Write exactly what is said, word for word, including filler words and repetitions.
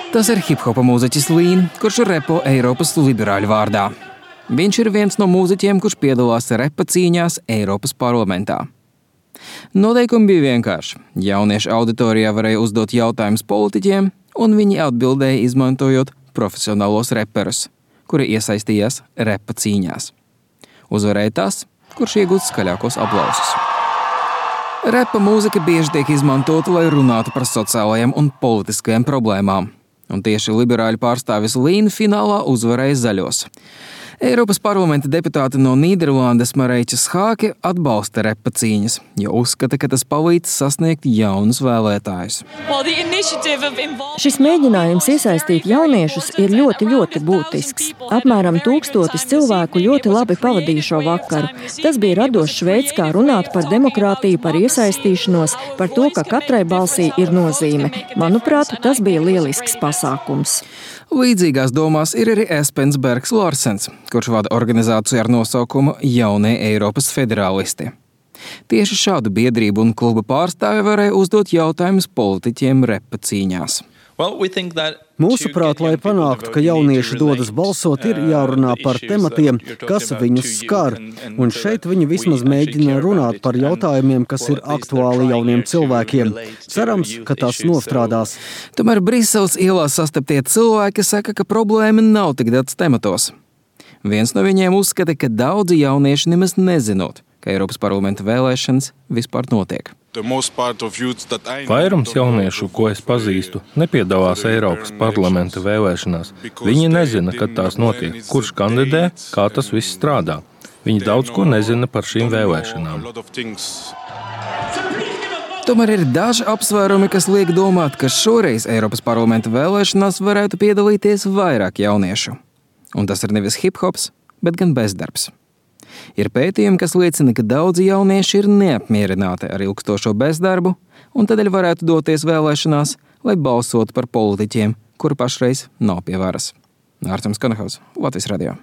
Tas ir hip-hopa mūziķis Lean, kurš repo Eiropas liberāļu vārdā. Viņš ir viens no mūziķiem, kurš piedalās repa cīņās Eiropas parlamentā. Noteikumi bija vienkārši. Jauniešu auditorijā varēja uzdot jautājumus politiķiem, un viņi atbildēja izmantojot profesionālos reperus, kuri iesaistījās repa cīņās. Uzvarēja tas, kurš iegūst skaļākos aplausus. Repa mūzika bieži tiek izmantota, lai runātu par sociālajiem un politiskajiem problēmām. Un tieši liberāļu pārstāvis Lean finālā uzvarēja zaļos. Eiropas parlamenta deputāte no Nīderlandes Marijtje Schaake atbalsta repa cīņas, jo uzskata, ka tas palīdz sasniegt jaunus vēlētājus. Šis mēģinājums iesaistīt jauniešus ir ļoti, ļoti būtisks. Apmēram tūkstotis cilvēku ļoti labi pavadīja šo vakaru. Tas bija radošs veids, kā runāt par demokrātiju, par iesaistīšanos, par to, ka katrai balsī ir nozīme. Manuprāt, tas bija lielisks pasākums. Līdzīgās domās ir arī Espens Bergs Larsens, kurš vada organizāciju ar nosaukumu Jaunie Eiropas federālisti. Tieši šādu biedrību un kluba pārstāvi varēja uzdot jautājumus politiķiem repa cīņās. Mūsuprāt, lai panāktu, ka jaunieši dodas balsot, ir jārunā par tematiem, kas viņus skar. Un šeit viņi vismaz mēģina runāt par jautājumiem, kas ir aktuāli jauniem cilvēkiem. Cerams, ka tas nostrādās. Tomēr Briseles ielās sastaptie cilvēki saka, ka problēma nav tik daudz tematos. Viens no viņiem uzskata, ka daudzi jaunieši nemaz nezinot, ka Eiropas parlamenta vēlēšanas vispār notiek. Vairums jauniešu, ko es pazīstu, nepiedalās Eiropas parlamenta vēlēšanās. Viņi nezina, kad tās notiek, kurš kandidē, kā tas viss strādā. Viņi daudz ko nezina par šīm vēlēšanām. Tomēr ir daži apsvērumi, kas liek domāt, ka šoreiz Eiropas parlamenta vēlēšanās varētu piedalīties vairāk jauniešu. Un tas ir nevis hip-hops, bet gan bezdarbs. Ir pētījumi, kas liecina, ka daudzi jaunieši ir neapmierināti ar ilgstošo bezdarbu un tādēļ varētu doties vēlēšanās, lai balsotu par politiķiem, kuri pašreiz nav pie varas. Ārtams Kanahaus, Latvijas radio.